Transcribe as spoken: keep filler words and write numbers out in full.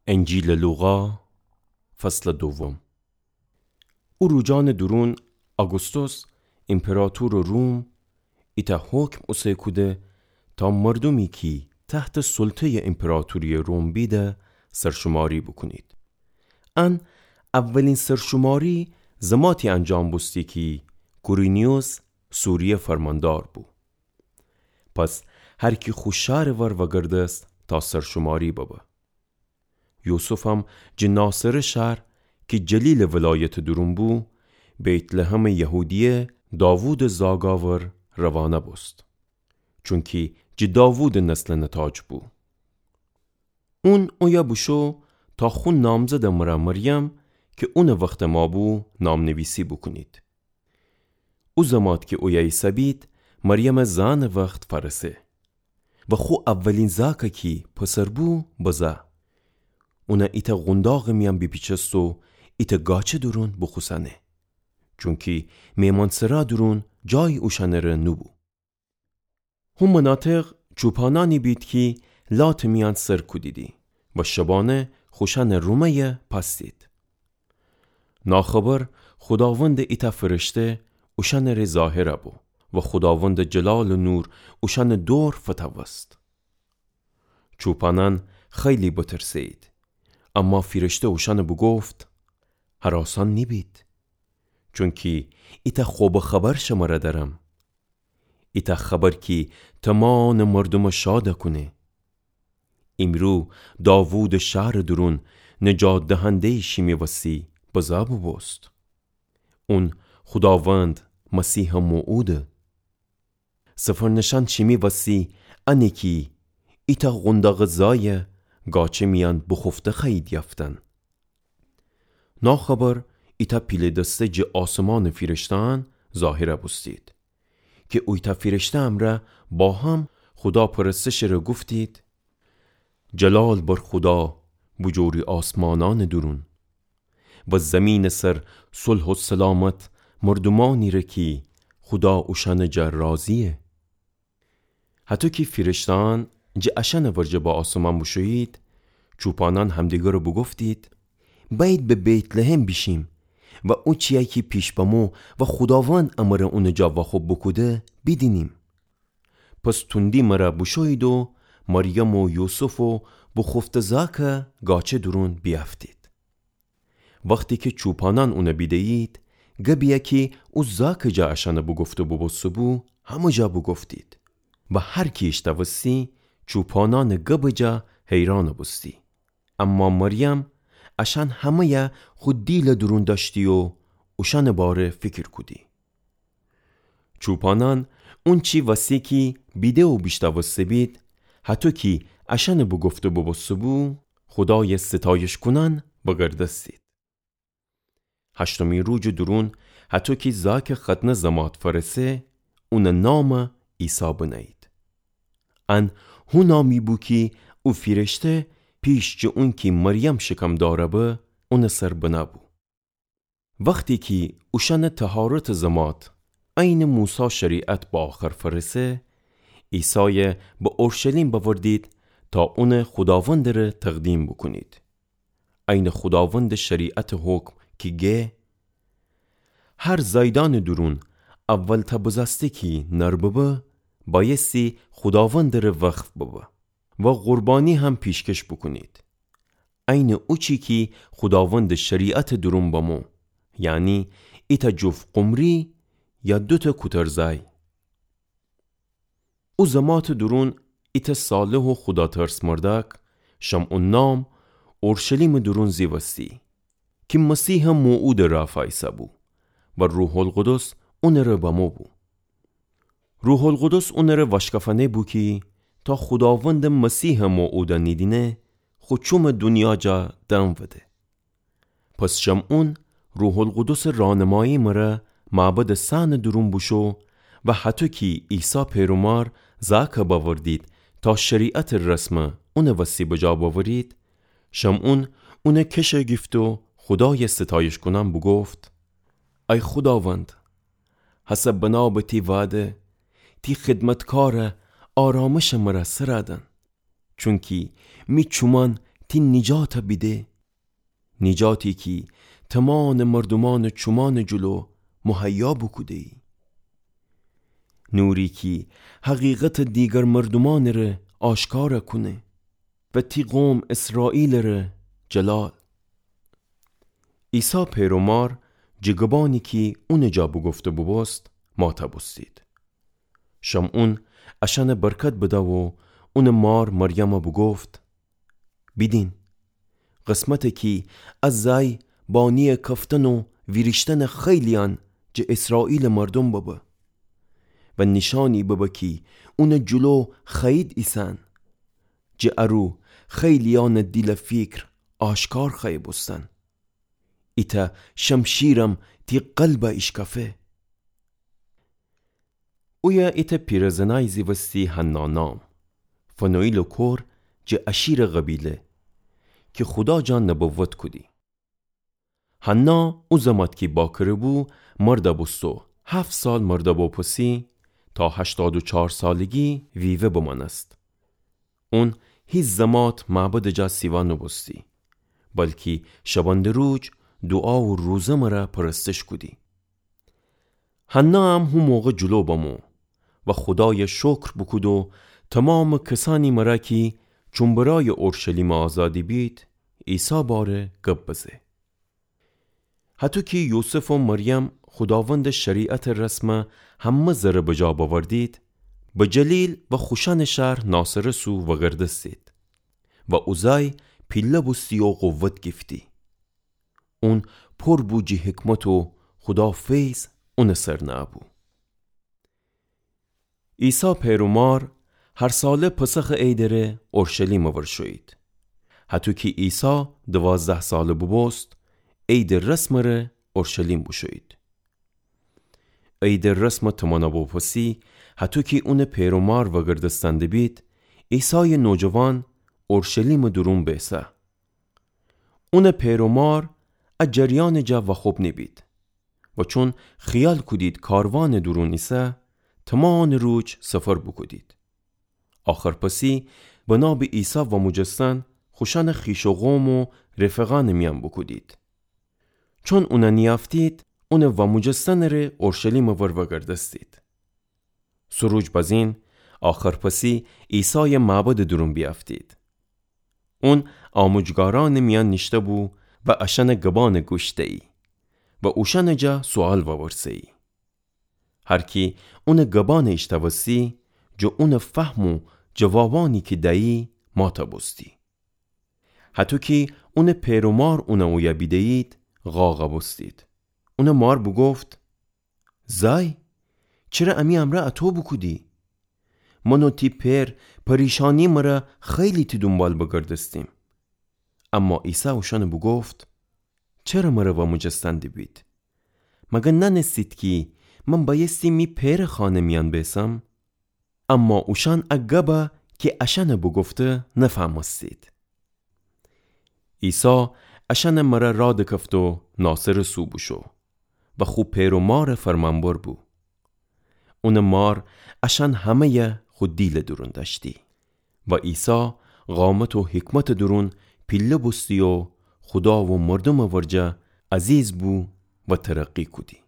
انجیلٚ لوقا، فصلٚ دوم. او روجانٚ دورون آگوستوس، ایمپراطورٚ روم، ایتأ حکم اوسه کوده تا مردومی کی تحتٚ سلطه‌یٚ ایمپراطوری‌یٚ روم بیده، سرشماری بوکونید. ان اولین سرشماری زماتی انجام بوستی کی کورینیوس سوریه فرماندار بو. پس هر کی خو شارٚ ور وگردست تا سرشماری ببه. یوسفم جٚه ناصره شار کی جلیلٚ ولایتٚ دورون بو، بیت‌لحمٚ یهودیه داوودٚ زاگاور روانه بوست، چونکی جٚه داوودٚ نسلٚ نتاج بو. اون اویه بوشو تا خو نامزدٚ مره مریم کی اونٚ وختٚ ما بو نام‌نویسی بوکونید. او زمات کی اویه ایسه‌بید، مریمٚ زأنٚ وخت فأرسه و خو اولین زاکه کی پسر بو بزه. اونه ایتأ قونداغٚ میأن بیپیچست و ایتأ گاچه دورون بوخوسأنه، چونکی مهمانسرا دورون جایی اوشأنٚره نوبو. هو مناطق چوپانأنی بید کی لاتٚ میأن سر کودیدی و شبانه خوشأنٚ رومه‌یه پأستید. ناخبر خوداوندٚ ایتأ فرشته اوشأنٚره ظاهر بو و خوداوندٚ جلال و نور اوشأنٚ دور فتوست. چوپانأن خیلی بترسه‌یید، اما فیرشته اوشأنٚ بوگفت: هراسأن نیبید، چونکی ایتأ خوبٚ خبر شمره دأرم. ایتأ خبر کی تمامٚ مردومٚ شاد کونه. ایمرو داوودٚ شارٚ دورون نجات دهنده‌یی شیمی وسی بزه بوبوست. اون خوداوند مسیحٚ موعوده. سفرنشأن شیمی وسی انه کی ایتأ قونداغٚ زایه گاچه میأن بوخوفته خوأیید یأفتن. ناخبر ایتأ پیله‌دسته جٚه آسمانٚ فیرشته‌أن ظاهر بوستید، کی اویتأ فیرشته امرأ با هم خودا پرستشٚره گفتید: جلال بر خودا بوجوری آسمانأنٚ دورون، و زیمینٚ سر صلح و سلامت مردومأنیره کی خودا اوشأنٚ جا راضییه. هطو کی فیرشته‌أن جٚه اشأنٚ ورجه به آسمان بوشویید، چوپانأن همدیگره بوگفتید: بأیید به بیت‌لحم بیشیم و او چیی کی پیش بمو و خوداوند امره اونٚ جا واخوب بوکوده، بیدینیم. پس توندی مره بوشویید و مریم و یوسف و بوخوفته زاکه گاچه دورون بیأفتید. وختی کی چوپانأن اونه بیده‌یید، گبیی کی او زاکٚ جا اشأنٚ بوگفته بوبوسته‌بو، همه جا بوگفتید. و هر کی ایشتوستی، چوپانأنٚ گبٚ جا حیران بوستی. اما مریم اشأن همه‌یه خو دیلٚ دورون دأشتی و اوشأنٚ باره فیکر کودی. چوپانأن اونچی وسی کی بیده و بیشتوسته بید، هطو کی اشأنٚ بوگفته بوبوسته‌بو، خودایٚ ستایش کونأن وگردستید. هشتمی روجٚ دورون، هطو کی زاکٚ ختنه زمات فأرسه، اونٚ نام عیسی بنه‌یید. ان هو نامی بو کی او فیرشته پیش جٚه اونکی مریم شکم داره به، اونٚ سر بنه‌بو. وختی کی اوشأنٚ طهارتٚ زمات عینٚ موسی شریعت به آخر فأرسه، عیسای به اورشلیم بأوردید تا اون خوداوندٚ ره تقدیم بوکونید. عینٚ خوداوندٚ شریعتٚ حکم کی گه: هر زأیدأنٚ دورون اول تا بزأسته کی نر ببه، بأیستی خوداوندٚ ره وقف ببه و قربانی هم پیشکش بوکونید. عینٚ اوچی کی خوداوندٚ شریعتٚ دورون بمو، یعنی ایتأ جفت قمری یا دوتأ کوترزأی. او زماتٚ دورون ایتأ صالح و خوداترس مردأک، شمعون نام، اورشلیمٚ دورون زیوستی، کی مسیحٚ موعودٚ رأ فأیسه‌بو و روح‌القدس اونٚ ره بمو بو. روح‌القدس اونٚ ره وأشکفأنه بو کی تا خوداوندٚ مسیحٚ موعود نیدینه، خو چومٚ دونیا جا دم وده. پس شمعون روح‌القدسٚ رأنمایی مره معبدٚ صحنٚ دورون بوشو و هطو کی عیسی پئر و مار زأکٚ بأوردید تا شریعتٚ رسمٚ اونٚ وسی بجا بأورید، شمعون اونٚ کشه گیفت و خودایٚ ستایش کونأن بوگفت: ای خوداوند، هسه بنا به تی وعده، تی خدمتکارٚ آرامشٚ مره سرَ دن. چونکی می چومأن تی نیجاتَ بیده، نیجاتی کی تمامٚ مردومأنٚ چومأنٚ جلو مهیا بوکوده‌یی. نوری کی حقیقتَ دیگر مردومأنٚ ره آشکارَ کونه و تی قوم اسرائیلٚ ره جلال. عیسی پئر و مار جٚه گبأنی کی اونٚ جا بوگفته بوبوست ماتَ بوستید. شمعون اشأنَ برکت بده و اونٚ مار مریمَ بوگفت: بیدین، قسمتَ کی ا زأی بانی‌یٚ کفتن و ویریشتنٚ خیلی‌یأن جٚه اسرائیلٚ مردوم ببه و نیشأنی ببه کی اونٚ جلو خوأیید ایسن. جٚه ا رو خیلی‌یأنٚ دیل و فیکر آشکار خوأیه بوستن. ایتأ شمشیرم تی قلبَ ایشکفه. اویه ایتأ پیرزنأیی زیوستی حنا نام، فنوئیلٚ کور، جٚه آشیرٚ قبیله، کی خودا جا نبوت کودی. حنا او زمات کی باکره بو، مردَ بوست و هفت سال مردَ بوپسی، تا هشتاد و چار سالگی ویوه بمأنست. اون هیچ زمات معبدٚ جا سیوا نوبوستی، بلکی شبانده روج دوعا و روزه مره پرستش کودی. حنا هم هو موقع جلو بمو و خودایَ شکر بوکود و تومامٚ کسأنی مره کی چومبرایٚ اورشلیمَ آزادی بید، عیسی باره گب بزه. هطو کی یوسف و مریم خوداوندٚ شریعتٚ رسمَ همه زره بجا بأوردید، به جلیل و خوشأنٚ شهر ناصره سو وگردستید و او زأی پیله بوستی و قوت گیفتی. اون پر بو جٚه حکمت و خودا فیض اونٚ سر نه‌بو. عیسی پئر و مار هر ساله پسخٚ عیدٚ ره اورشلیمٚ ور شویید. هطو کی عیسی دوازده ساله بوبوست، عیدٚ رسمٚ ره اورشلیم بوشویید. عیدٚ رسمٚ تومانا بوپسی، هطو کی اونٚ پئر و مار وگردستن دبید، عیسایٚ نوجوان اورشلیمٚ دورون بیسه. اونٚ پئر و مار ا جریانٚ جا واخوب نیبید و چون خیال کودید کاروانٚ دورون ایسه، تومانٚ روج سفر بوکودید. آخرپسی بنا به عیسی واموجستن خوشأنٚ خویش و قوم و رفقأنٚ میأن بوکودید. چون اونَ نیأفتید، اونٚ واموجستنٚ ره اورشلیمٚ ور وگردستید. سه روج بزین آخرپسی عیسایَ معبدٚ دورون بیأفتید. اون آموجگارأنٚ میأن نیشته‌بو و اشأنٚ گبأنَ گوش دیی و اوشأنٚ جا سوئال وورسه‌یی. هر کی اونٚ گبأنَ ایشتوستی، جٚه اونٚ فهم و جوابأنی کی دیی، ماتَ بوستی. هطو کی اونٚ پئر و مار اونَ اویه بیده‌یید، قاقَ بوستید. اونٚ مار بوگفت: زأی، چره امی امرأ اطو بوکودی؟ من و تی پئر پریشانی مره خیلی تی دونبال بگردستیم. اما عیسی اوشأنَ بوگفت: چره مره واموجستن دیبید؟ مگر نأنستید کی من بأیستی می پئرٚ خانه میأن بیسم؟ اما اوشأن ا گبَ کی اشأنَ بوگفته نفهمستید. عیسی اشأنٚ مره راه دکفت و ناصره سو بوشو و خو پئر و مارٚ فرمانبر بو. اونٚ مار اشأن همه‌یَ خو دیلٚ دورون دأشتی و عیسی قامت و حکمتٚ دورون پیله بوستی و خودا و مردومٚ ورجه عزیز بو و ترقی کودی.